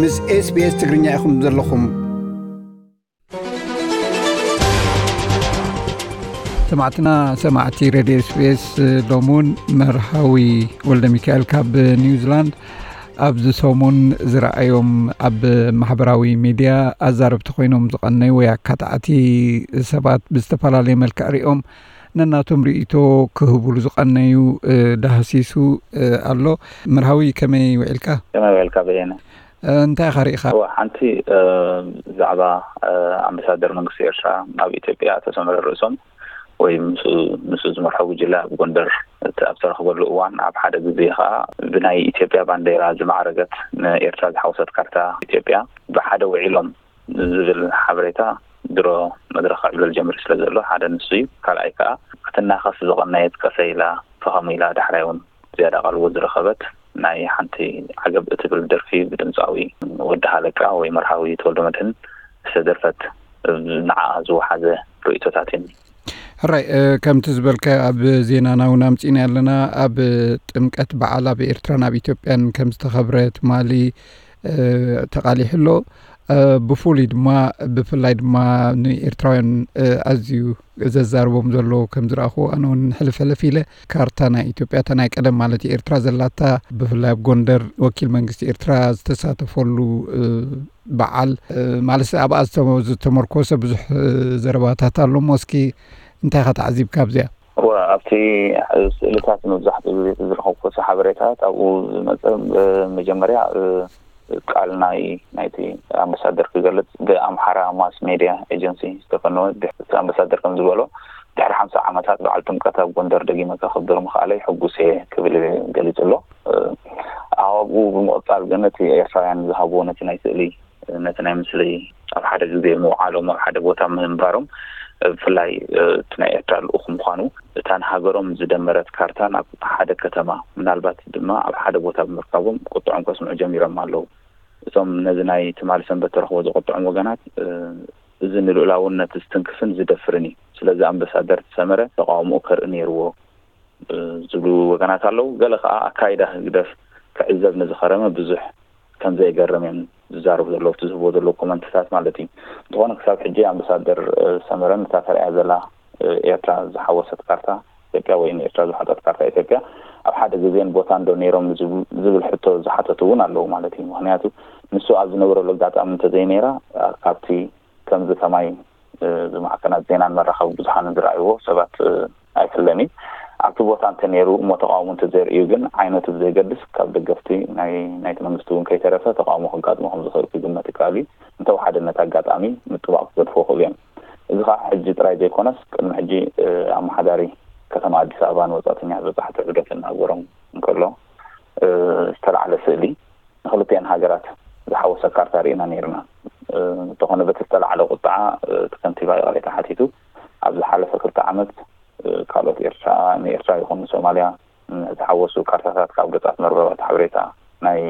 ምስ SBS ትግርኛ ኢኹም ዘለኹም። ሰማዕትና፣ ሰማዕቲ ሬድዮ SBS፣ ሎሚ እውን መርሃዊ ወልደ ሚካኤል ካብ ኒውዚላንድ ኣብዚ ሰሙን ዝረኣዮም ኣብ ማሕበራዊ ሚድያ ኣዛረብቲ ኮይኖም ዝቐነዩ ወይ ኣካታዕቲ ሰባት ብዝተፈላለየ መልክዕ ሪኦም ነናቶም ርእይቶ ክህቡሉ ዝቐነዩ፣ እ፣ ዳህሲሱ፣ እ፣ ኣሎ። መርሃዊ ከመይ ውዒልካ? ከመይ ውዒልካ በየነ? እ፣ እንታይ ኢኻ ርኢኻ? እዋ፣ ሓንቲ፣ እ፣ ብዛዕባ፣ እ፣ ኣምባሳደር መንግስቲ ኤርትራ ናብ ኢትዮጵያ ኣቶ ሰመረ ርእሶም ወይ ምስ፣ ምስ ዝመርሖ ጉጅለ ኣብ ጎንደር እቲ ኣብ ዝተረኽበሉ እዋን ኣብ ሓደ ግዜ ኸኣ ብናይ ኢትዮጵያ ባንዴራ ዝማዕረገት ንኤርትራ ዝሓወሰት ካርታ ኢትዮጵያ ብሓደ ውዒሎም ዝብል ሓበሬታ ድሮ መድረኽ ክዕብለል ጀሚሩ ስለ ዘሎ ሓደ ንሱ እዩ። ካልኣይ ከኣ ክትናኸስ ዝቐነየት ቀሰ ኢላ ፈኸም ኢላ ዳሕራይ እውን ዝያዳ ቃልዎ ዝረኸበት ናይ ሓንቲ ዓገብ እትብል ደርፊ ብድምፃዊ ወዲ ሃለቃ ወይ መርሃዊ ተወልደ መድህን ዝተደርፈት ንዓ ዝወሓዘ ርእይቶታት እየን። ሕራይ፣ እ፣ ከምቲ ዝበልካ ኣብ ዜናና እውን ኣምፂና ኣለና። ኣብ ጥምቀት በዓል ኣብ ኤርትራን ኣብ ኢትዮጵያን ከም ዝተኸብረ ትማሊ፣ እ፣ ተቓሊሑ ኣሎ። እ፣ ብፍሉይ ድማ፣ ብፍላይ ድማ ንኤርትራውያን፣ እ፣ ኣዝዩ ዘዛርቦም ዘሎ ከም ዝረኣኹ፣ ኣነ እውን ሕልፍ ሕልፍ ኢለ ካርታ ናይ ኢትዮጵያ፣ እታ ናይ ቀደም ማለት እዩ፣ ኤርትራ ዘላታ፣ ብፍላይ ኣብ ጎንደር ወኪል መንግስቲ ኤርትራ ዝተሳተፈሉ፣ እ፣ በዓል፣ እ፣ ማለት ኣብኣ ዝተ-፣ ዝተመርኮሰ ብዙሕ፣ እ፣ ዘረባታት ኣሎ እሞ፣ እስኪ እንታይ ኢኻ ተዓዚብካ ኣብዚኣ? እወ፣ ኣብቲ ስእልታት መብዛሕትኡ ግዜ ዝረኸብኩ ሓበሬታት ኣብኡ ዝመጸ፣ እ፣ መጀመርያ፣ እ፣ ቃል ናይ፣ ናይቲ ኣምባሳደር ክገልጽ ብኣምሓራ ማስ ሜድያ ኤጀንሲ ዝተፈነወ፣ ድሕ-፣ እቲ ኣምባሳደር ከም ዝበሎ፣ ድሕሪ ሓምሳ ዓመታት በዓል ጥምቀት ኣብ ጎንደር ደጊመ ከኽብር ምኽኣለይ ሕጉስ እየ ክብል ገሊጹ ኣሎ። እ፣ ኣብኡ ብምቕጻል ግን እቲ ኤርትራውያን ዝሃብዎ ነቲ ናይ ስእሊ፣ ነቲ ናይ ምስሊ ኣብ ሓደ ግዜ ምውዓሎም፣ ኣብ ሓደ ቦታ ምንባሮም፣ ብፍላይ፣ እ፣ እቲ ናይ ኤርትራ ልኡኽ ምዃኑ፣ እታ ንሃገሮም ዝደመረት ካርታ ናብ ሓደ ከተማ፣ ምናልባት ድማ ኣብ ሓደ ቦታ ብምርካቦም ቁጥዖም ከስምዑ ጀሚሮም ኣለዉ። እቶም ነዚ ናይ ትማሊ ሰንበት ተረኽቦ ዘቑጥዖም ወገናት፣ እ፣ እዚ ንልኡላውነት ዝትንክፍን ዝደፍርን እዩ። ስለዚ ኣምባሳደር ሰመረ ተቓውሞኡ ከርኢ ነይርዎ፣ እ፣ ዝብሉ ወገናት ኣለዉ። ገለ ከኣ ኣካይዳ ህግደፍ ክዕዘብ ንዝኸረመ ብዙሕ ከም ዘይገርም እዮም ዝዛረቡ ዘለዉ፣ እቲ ዝህብዎ ዘለዉ ኮመንትታት ማለት እዩ። እንተኾነ ክሳብ ሕጂ ኣምባሳደር፣ እ፣ ሰመረን እታ ተርእያ ዘላ፣ እ፣ ኤርትራ ዝሓወሰት ካርታ ኢትዮጵያ ወይ ንኤርትራ ዝሓጠት ካርታ ኢትዮጵያ ኣብ ሓደ ግዜን ቦታን ዶ ነይሮም ዝብ-፣ ዝብል ሕቶ ዝሓተቱ እውን ኣለዉ ማለት እዩ። ምኽንያቱ ንሱ ኣብ ዝነበረሉ ኣጋጣሚ እንተዘይነይራ፣ እ፣ ካብቲ ከምዚ ከማይ፣ እ፣ ብማዕከናት ዜናን መራኸቢ ብዙሃንን ዝረኣይዎ ሰባት፣ እ፣ ኣይፍለን እዩ። ኣብቲ ቦታ እንተ ነይሩ እሞ ተቃውሞ እንተ ዘርእዩ ግን ዓይነቱ ብዘይገድስ ካብ ደገፍቲ ናይ፣ ናይቲ መንግስቲ እውን ከይተረፈ ተቃውሞ ከጋጥሞ ከም ዝኽእል ክግመት ይከኣል እዩ። እንተወሓደ ነቲ ኣጋጣሚ ምጥባቕ ክገድፍዎ ክእሉ እዮም። እዚ ከዓ ሕጂ ጥራይ ዘይኮነስ ቅድሚ ሕጂ፣ እ፣ ኣመሓዳሪ ከተማ ኣዲስ ኣበባ ንወጻእተኛ ዝበጻሕቲ ዑደት እናገሮም እንከሎ፣ እ፣ ዝተላዕለ ስእሊ ንክልቲአን ሃገራት ዝሓወሰ ካርታ ርኢና ነይርና። እ፣ እንተኾነ በቲ ዝተላዕለ ቁጥዓ፣ እ፣ እቲ ከንቲባ ይቕሬታ ሓቲቱ። ኣብ ዝሓለፈ ክልተ ዓመት፣ እ፣ ካልኦት ኤርትራ፣ ንኤርትራ ይኹን ንሶማልያ፣ እ፣ ዝሓወሱ ካርታታት ካብ ገጻት መርበባት ሓበሬታ ናይ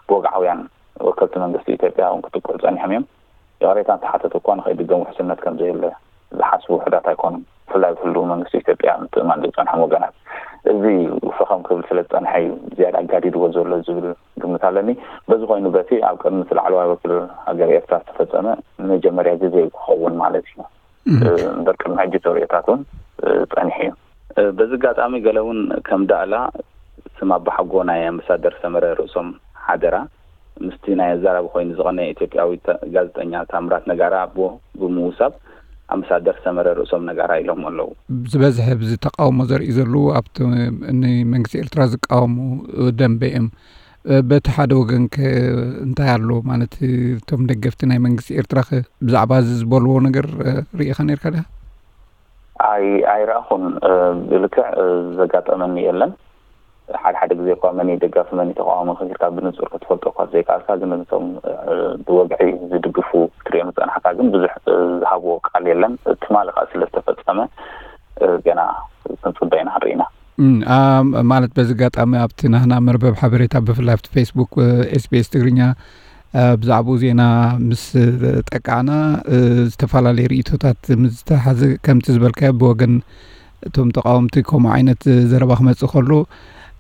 ብወግዓውያን ወከልቲ መንግስቲ ኢትዮጵያ እውን ክጥቅዑ ጸኒሖም እዮም። ይቕሬታ እንተሓተቱ እኳ ንኸይድገም ውሕስነት ከም ዘየለ ዝሓስቡ ውሑዳት ኣይኮኑን። ብፍላይ ብህልው መንግስቲ ኢትዮጵያ ምትእማን ዘይጸንሖም ወገናት። እዚ ፈኸም ክብል ስለ ዝጸንሐ እዩ ዝያዳ ኣጋዲድዎ ዘሎ ዝብል ግምት ኣለኒ። በዚ ኮይኑ በቲ ኣብ ቅድሚ እቲ ላዕለዋይ ወኪል ሃገር ኤርትራ ዝተፈጸመ ንመጀመርያ ግዜ እዩ ክኸውን ማለት እዩ። እም። እ፣ እምበር ቅድሚ ሕጂ ተርእዮታት እውን፣ እ፣ ጸኒሑ እዩ። እ፣ በዚ ኣጋጣሚ ገለ እውን ከም ዳእላ ስም ኣባሓጎ ናይ ኣምባሳደር ሰመረ ርእሶም ሓደራ ምስቲ ናይ ኣዛራቢ ኮይኑ ዝቐነየ ኢትዮጵያዊ ተ-፣ ጋዜጠኛ ታምራት ነጋራ ኣቦ ብምውሳብ ኣምባሳደር ሰመረ ርእሶም ነጋራ ኢሎም ኣለዉ። ዝበዝሐ ብዚ ተቃውሞ ዘርኢ ዘለዉ ኣብቲ ንመንግስቲ ኤርትራ ዝቃወሙ ደንበ እዮም። በቲ ሓደ ወገን ከ እንታይ ኣሎ ማለት፣ እቶም ደገፍቲ ናይ መንግስቲ ኤርትራ ከ ብዛዕባ እዚ ዝበልዎ ነገር ርኢኻ ነርካ ዲኻ? ኣይ-፣ ኣይረኣኹን። እ፣ ብልክዕ፣ እ፣ ዘጋጠመኒ የለን። ሓደ ሓደ ግዜ እኳ መን እዩ ደጋፊ፣ መን እዩ ተቃዋሚ ኢልካ ብንጹር ክትፈልጦ እኳ ዘይከኣልካ፣ ግን እቶም፣ እ፣ ብወግዒ ዝድግፉ ክትሪኦም ዝጸናሕካ ግን ብዙሕ፣ እ፣ ዝሃብዎ ቃል የለን። ትማሊ ከኣ ስለ ዝተፈጸመ፣ እ፣ ገና ክንጽበ ኢና ክንርኢ ኢና። እም፣ ኣ፣ ማለት በዚ ኣጋጣሚ ኣብቲ ናህና መርበብ ሓበሬታ ብፍላይ ኣብቲ ፌስቡክ፣ እ፣ ኤስ ቢ ኤስ ትግርኛ፣ እ፣ ብዛዕባኡ ዜና ምስ ጠቃዕና፣ እ፣ ዝተፈላለዩ ርእይቶታት ምስ ዝተሓዘ ከምቲ ዝበልካዮ ብወገን እቶም ተቃወምቲ ከምኡ ዓይነት ዘረባ ክመጽእ ከሎ፣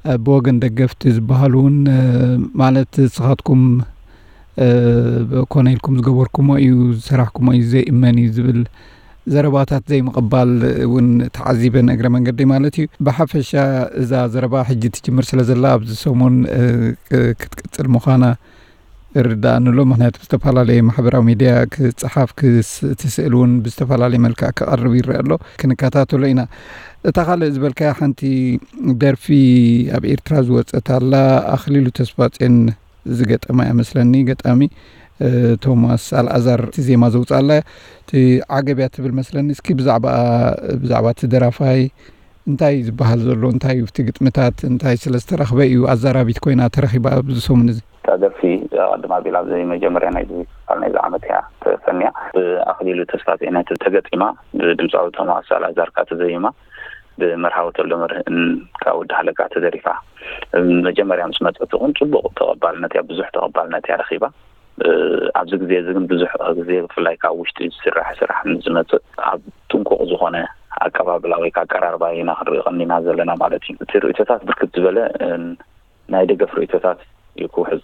እ፣ ብወገን ደገፍቲ ዝበሃሉ እውን፣ እ፣ ማለት ንስኻትኩም ኮነ ኢልኩም ዝገበርኩሞ እዩ፣ ዝሰራሕኩሞ እዩ፣ ዘይእመን እዩ ዝብል ዘረባታት ዘይምቕባል እውን ተዓዚበን፣ እግረ መንገዲ ማለት እዩ። ብሓፈሻ እዛ ዘረባ ሕጂ ትጅምር ስለ ዘላ ኣብዚ ሰሙን ክትቅፅል ምዃና እርዳእንሎ። ምክንያቱ ብዝተፈላለየ ማሕበራዊ ሚድያ ክፀሓፍ፣ እቲ ስእሊ እውን ብዝተፈላለየ መልክዕ ክቐርብ ይረአ ኣሎ። ክንከታተሎ ኢና። እታ ካልእ ዝበልካያ ሓንቲ ደርፊ ኣብ ኤርትራ ዝወፀት ኣላ፣ ኣኽሊሉ ተስፋፅዮን ዝገጠማ እያ መስለኒ፣ ገጣሚ ቶማስ ኣልኣዛር እቲ ዜማ ዘውፅኣላ። እቲ ዓገብ እያ ትብል መስለኒ። እስኪ ብዛዕባ ብዛዕባ እቲ ደራፋይ እንታይ እዩ ዝበሃል ዘሎ? እንታይ እዩ እቲ ግጥምታት? እንታይ ስለ ዝተረኽበ እዩ ኣዛራቢት ኮይና ተረኺባ ኣብዚ ሰሙን እዚ? እታ ደርፊ ቀድማ ቢላ ኣብዚ መጀመርያ ናይ ክፋል ናይዚ ዓመት እያ ተፈንያ። ብኣኽሊሉ ተስፋ ዜና ተገጢማ፣ ብድምፃዊ ቶማስ ኣልኣዛር ከኣ ተዘይማ፣ ብመርሃዊ ተወልደመድህን ካብ ወዲ ሃለቃ ተደሪፋ። መጀመርያ ምስ መጸት እውን ጽቡቕ ተቐባልነት እያ፣ ብዙሕ ተቐባልነት እያ ረኺባ። ኣብዚ ግዜ እዚ ግን ብዙሕ ግዜ ብፍላይ ካብ ውሽጢ ዝስራሕ ስራሕ ምስ ዝመጽእ ኣብ ጥንቁቕ ዝኾነ ኣቀባብላ ወይ ከዓ ኣቀራርባ ኢና ክንርኢ ቀኒና ዘለና ማለት እዩ። እቲ ርእይቶታት ብርክት ዝበለ ናይ ደገፍ ርእይቶታት እዩ ክውሕዝ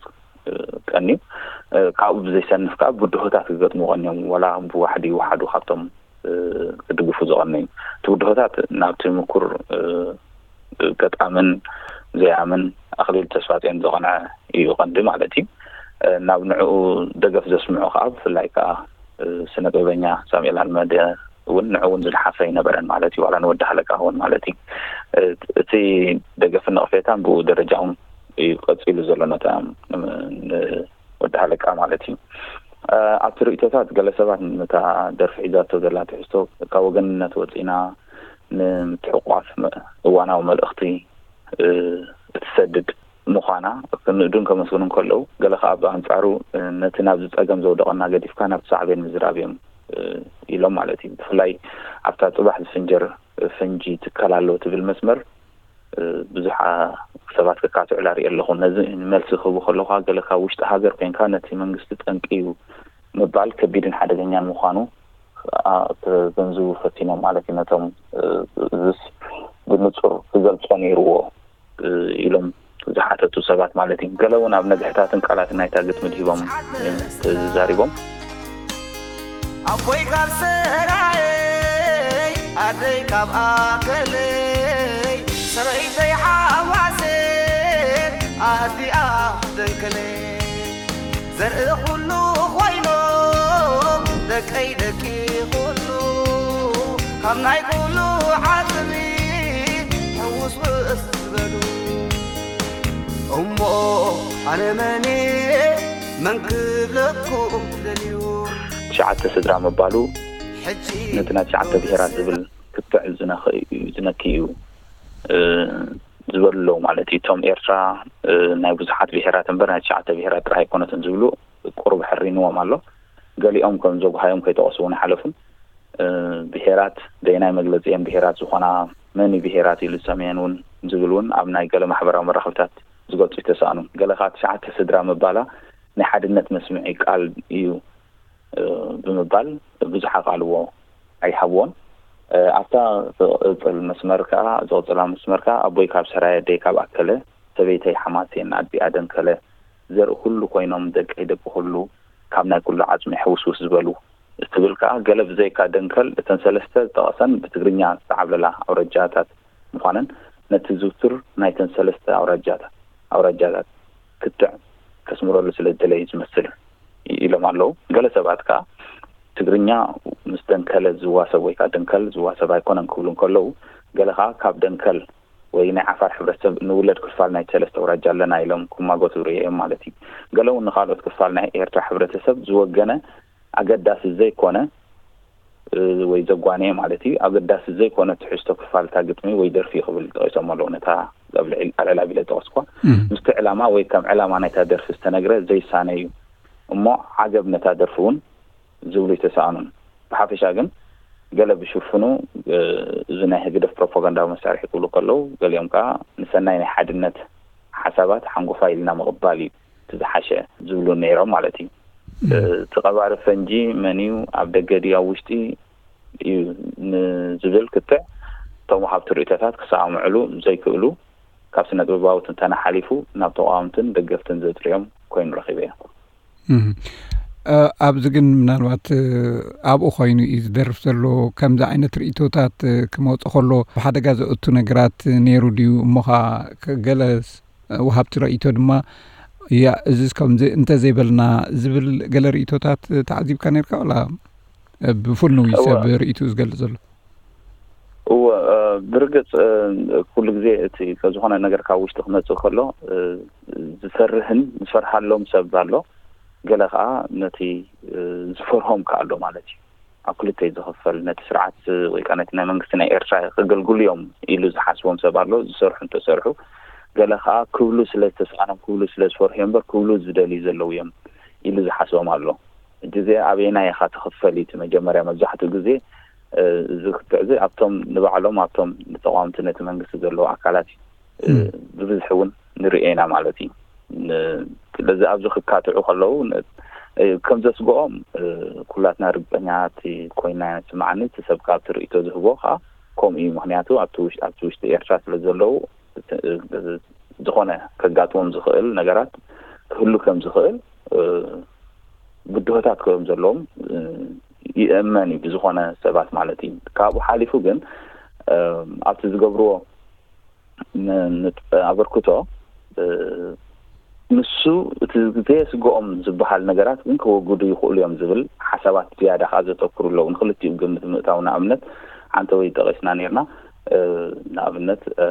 ቀንዩ። ካብኡ ብዘይሰንፍ ከዓ ብድሆታት ክገጥሙ ቀንዮም፣ ዋላ ብዋሕዲ ይወሓዱ ካብቶም ክድግፉ ዝቐነዩ። እቲ ብድሆታት ናብቲ ምኩር ገጣምን ዘያምን ኣኽሊሉ ተስፋጽዮን ዝቐንዐ እዩ ቀንዲ ማለት እዩ። ናብ ንዕኡ ደገፍ ዘስምዑ ከዓ ብፍላይ ከዓ ስነ ጥበበኛ ሳሙኤል ኣልመደ እውን ንዑ እውን ዝለሓፈ ኣይነበረን ማለት እዩ፣ ዋላ ንወዲ ሃለቃ እውን ማለት እዩ። እቲ ደገፍን ነቕፌታን ብኡ ደረጃ እውን እዩ ቀፂሉ ዘሎ ነታ ወዲ ሃለቃ ማለት እዩ። ኣብቲ ርእይቶታት ገለ ሰባት ነታ ደርፊ ሒዛቶ ዘላ ትሕዝቶ ካብ ወገንነት ወፂና ንምትሕቋፍ እዋናዊ መልእኽቲ እትሰድድ ምዃና ክንእዱን ከመስግኑ እንከለዉ፣ ገለ ከዓ ብኣንጻሩ ነቲ ናብዚ ጸገም ዘውደቐና ገዲፍካ ናብቲ ሳዕቤን ምዝራብ እዮም ኢሎም ማለት እዩ። ብፍላይ ኣብታ ጽባሕ ዝፍንጀር ፈንጂ ትከል ኣሎ ትብል መስመር ብዙሕ ሰባት ክካትዑላ ርኢ ኣለኹ። ነዚ መልሲ ክህቡ ከለኹ ገለ ካብ ውሽጢ ሃገር ኮይንካ ነቲ መንግስቲ ጠንቂ እዩ ምባል ከቢድን ሓደገኛን ምዃኑ ክገንዝቡ ፈቲኖም ማለት እዩ። ነቶም እዚስ ብንጹር ክገልጾ ነይርዎ ኢሎም ዝሓተቱ ሰባት ማለት እዩ። ገለ እውን ኣብ ነግሕታትን ቃላትን ናይታ ግጥሚ ድሂቦም ተዛሪቦም። ኣቦይ ካብ ሰራየይ ኣደይ ካብ ኣከለይ ሰበይተይ ሓዋሴ ኣህዲኣ ደንከለይ ዘርኢ ኩሉ ኮይኖም ደቀይ ደቂ ኩሉ ካብ ናይ ኩሉ ዓጽሚ ሕውስውስ ዝበሉ እሞ ኣነ መን እየ መን ክብለኩም ደልዩ ትሽዓተ ስድራ ምባሉ ሕጂ ነቲ ናይ ትሽዓተ ብሄራት ዝብል ክትዕ ዝነኪ እዩ ዝበሉ ኣለዉ ማለት እዩ። እቶም ኤርትራ ናይ ብዙሓት ብሄራት እምበር ናይ ትሽዓተ ብሄራት ጥራሕ ኣይኮነትን ዝብሉ ቁሩብ ሕሪንዎም ኣሎ። ገሊኦም ከም ዘጉሃዮም ከይጠቐሱ እውን ኣይሓለፉን። ብሄራት በየናይ መግለፂ እየን ብሄራት ዝኾና፣ መን እዩ ብሄራት ኢሉ ዝሰምየን እውን ዝብል እውን ኣብ ናይ ገለ ማሕበራዊ መራኸብታት ዝገልፁ ኣይተሰኣኑን። ገለ ከዓ ትሽዓተ ስድራ ምባላ ናይ ሓድነት መስምዒ ቃል እዩ ብምባል ብዙሕ ኣቓልቦ ኣይሃብዎን። ኣብታ ዝቕፅል መስመር ከዓ፣ ዝቕፅላ መስመር ከዓ ኣቦይ ካብ ሰራየ ኣደይ ካብ ኣከለ ሰበይተይ ሓማሴን ኣዲኣ ደንከለ ዘርኢ ኩሉ ኮይኖም ደቀይ ደቂ ኩሉ ካብ ናይ ኩሉ ዓፅሚ ሕውስውስ ዝበሉ ትብል ከዓ ገለ ብዘይካ ደንከል እተን ሰለስተ ዝጠቐሰን ብትግርኛ ዝተዓብለላ ኣውራጃታት ምዃነን ነቲ ዝውቱር ናይተን ሰለስተ ኣውራጃታት ኣውራጃታት ክትዕ ከስምረሉ ስለ ዝደለዩ ዝመስል ኢሎም ኣለዉ። ገለ ሰባት ከዓ ትግርኛ ምስ ደንከለ ዝዋሰብ ወይ ከዓ ደንከል ዝዋሰብ ኣይኮነን ክብሉ እንከለዉ፣ ገለ ከዓ ካብ ደንከል ወይ ናይ ዓፋር ሕብረተሰብ ንውለድ ክፋል ናይ ሰለስተ ኣውራጃ ኣለና ኢሎም ክማጎቱ ርእዮም ማለት እዩ። ገለ እውን ንካልኦት ክፋል ናይ ኤርትራ ሕብረተሰብ ዝወገነ ኣገዳሲ ዘይኮነ ወይ ዘጓነየ ማለት እዩ ኣገዳሲ ዘይኮነ ትሕዝቶ ክፋል እታ ግጥሚ ወይ ደርፊ ክብል ጠቂሶም ኣለዉ። ነታ ኣብ ልዕል ኣልዕል ኣቢለ ዝጠቀስኳ ምስቲ ዕላማ ወይ ከም ዕላማ ናይታ ደርፊ ዝተነግረ ዘይሳነ እዩ እሞ ዓገብ ነታ ደርፊ እውን ዝብሉ ይተሰኣኑን። ብሓፈሻ ግን ገለ ብሽፍኑ እዚ ናይ ህግደፍ ፕሮፓጋንዳዊ መሳርሒ ክብሉ ከለዉ፣ ገሊኦም ከዓ ንሰናይ ናይ ሓድነት ሓሳባት ሓንጎፋይ ኢልና ምቕባል እዩ እቲ ዝሓሸ ዝብሉ ነይሮም ማለት እዩ። እቲ ቀባሪ ፈንጂ መን እዩ? ኣብ ደገ ድዩ ኣብ ውሽጢ እዩ ንዝብል ክትዕ እቶም ወሃብቲ ርእይቶታት ክሰማምዕሉ ዘይክእሉ፣ ካብ ስነ ጥበባዊ ትንተና ሓሊፉ ናብ ተቓወምትን ደገፍትን ዘጥርዮም ኮይኑ ረኺበዮ። እህ። እ፣ ኣብዚ ግን ምናልባት፣ እ፣ ኣብኡ ኮይኑ እዩ ዝደርፍ ዘሎ። ከምዚ ዓይነት ርእይቶታት፣ እ፣ ክመጽእ ከሎ ብሓደጋ ዘእቱ ነገራት ነይሩ ድዩ? እሞ ኸኣ ከ-፣ ገለ ስ-፣ ወሃብቲ ርእይቶ ድማ፣ "ያ፣ እዚስ ከምዚ እንተዘይበልና" ዝብል ገለ ርእይቶታት ተዓዚብካ ነይርካ ዋላ? እ፣ ብፍኑው እዩ እወ። ሰብ ርእይትኡ ዝገልጽ ዘሎ። እወ፣ እ፣ ብርግጽ፣ እ፣ ኩሉ ግዜ እቲ ከ-፣ ዝኾነ ነገር ካብ ውሽጢ ክመጽእ ከሎ፣ እ፣ ዝፈርህን ዝፈርሃሎም ሰብ ኣሎ። ገለ ከኣ ነቲ፣ እ፣ ዝፈርሆም ከኣ ኣሎ ማለት እዩ። ኣብ ክልተ እዩ ዝኽፈል። ነቲ ስርዓት ወይ ከኣ ነቲ ናይ መንግስቲ ናይ ኤርትራ ከገልግሉ እዮም ኢሉ ዝሓስቦም ሰብ ኣሎ፣ ዝሰርሑ እንተሰርሑ። ገለ ከኣ ክብሉ ስለ ዝተስኣኖም፣ ክብሉ ስለ ዝፈርሑ እዮም እምበር፣ ክብሉ ዝደልዩ ዘለዉ እዮም ኢሉ ዝሓስቦም ኣሎ። እቲ እዚኣ ኣበየናይ ኢኻ ትኽፈል እዩ እቲ መጀመርያ። መብዛሕትኡ ግዜ፣ እ፣ እዚ ክትዕ እዚ ኣብቶም ንባዕሎም፣ ኣብቶም ንተቃወምቲ ነቲ መንግስቲ ዘለዉ ኣካላት እዩ። እ፣ እም። ብብዝሒ እውን ንርእዮ ኢና ማለት እዩ። ን-፣ ስለዚ ኣብዚ ክካትዑ ከለዉ ን-፣ እ፣ ከም ዘስግኦም፣ እ፣ ኩላትና ርግጸኛታት ኮይና ይስምዓኒ። እቲ ሰብ ካብቲ ርእይቶ ዝህቦ ከኣ ከምኡ እዩ። ምኽንያቱ ኣብቲ ውሽ-፣ ኣብቲ ውሽጢ ኤርትራ ስለ ዘለዉ፣ እቲ፣ እ፣ ዝኾነ ከጋጥሞም ዝኽእል ነገራት ክህሉ ከም ዝኽእል፣ እ፣ ብድሆታት ከም ዘለዎም፣ እ፣ ይእመን እዩ ብዝኾነ ሰባት ማለት እዩ። ካብኡ ሓሊፉ ግን፣ እ፣ ኣብቲ ዝገብርዎ ን-፣ ንጥ-፣ ኣበርክቶ፣ እ፣ ንሱ እቲ ዘየስግኦም ዝበሃል ነገራት ግን ከወግዱ ይኽእሉ እዮም ዝብል ሓሳባት ዝያዳ ከኣ ዘተኩሩ ኣለዉ። ንክልቲኡ ግምት ምእታው ንኣብነት ሓንቲ ወይ ጠቒስና ነይርና። እ፣ ንኣብነት፣ እ፣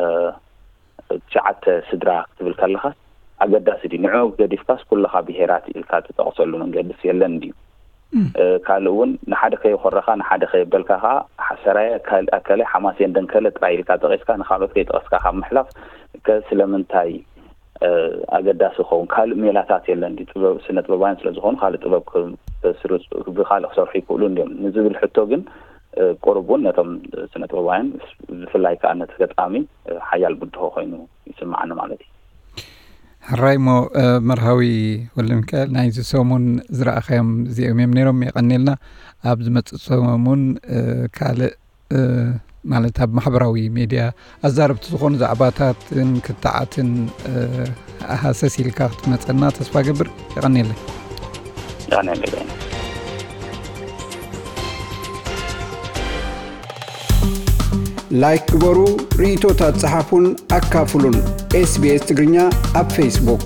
ትሽዓተ ስድራ ክትብል ከለኻስ ኣገዳሲ ድዩ? ንዕኡ ገዲፍካስ ኩልኻ ብሄራት ኢልካ ትጠቕሰሉ መንገድስ የለን ድዩ? እም። እ፣ ካልእ እውን ንሓደ ከየኾረኻ፣ ንሓደ ከየበልካ ኸኣ፣ ሓሰራየ፣ ካል-፣ ኣከለ፣ ሓማሴን፣ ደንከለ ጥራይ ኢልካ ጠቒስካ ንኻልኦት ከይጠቐስካ ካብ ምሕላፍ ከ ስለምንታይ፣ እ፣ ኣገዳሲ ይኸውን? ካልእ ሜላታት የለን ድዩ? ጥበብ-፣ ስነ ጥበባውያን ስለ ዝኾኑ ካልእ ጥበብ ክ-፣ ክስርጹ፣ ብኻልእ ክሰርሑ ይኽእሉ እንድዮም ንዝብል ሕቶ ግን፣ እ፣ ቁሩብ እውን ነቶም ስነ ጥበባውያን ብፍላይ ከኣ ነቲ ገጣሚ፣ እ፣ ሓያል ብድሆ ኮይኑ ይስምዓኒ ማለት እዩ። ሕራይ እሞ፣ እ፣ መርሃዊ ወልደሚካኤል፣ ናይዚ ሰሙን ዝረኣኻዮም እዚኦም እዮም ነይሮም። የቐንየልና። ኣብ ዝመጽእ ሰሙን፣ እ፣ ካልእ፣ እ፣ ማለት ኣብ ማሕበራዊ ሜድያ ኣዛረብቲ ዝኾኑ ዛዕባታትን ክትዓትን፣ እ፣ ሃሰስ ኢልካ ክትመጸና ተስፋ ገብር። የቐንየለይ። የቐንየለይ። ላይክ ግበሩ፣ ርእይቶታት ጸሓፉን ኣካፍሉን። ኤስ ቢ ኤስ ትግርኛ ኣብ ፌስቡክ።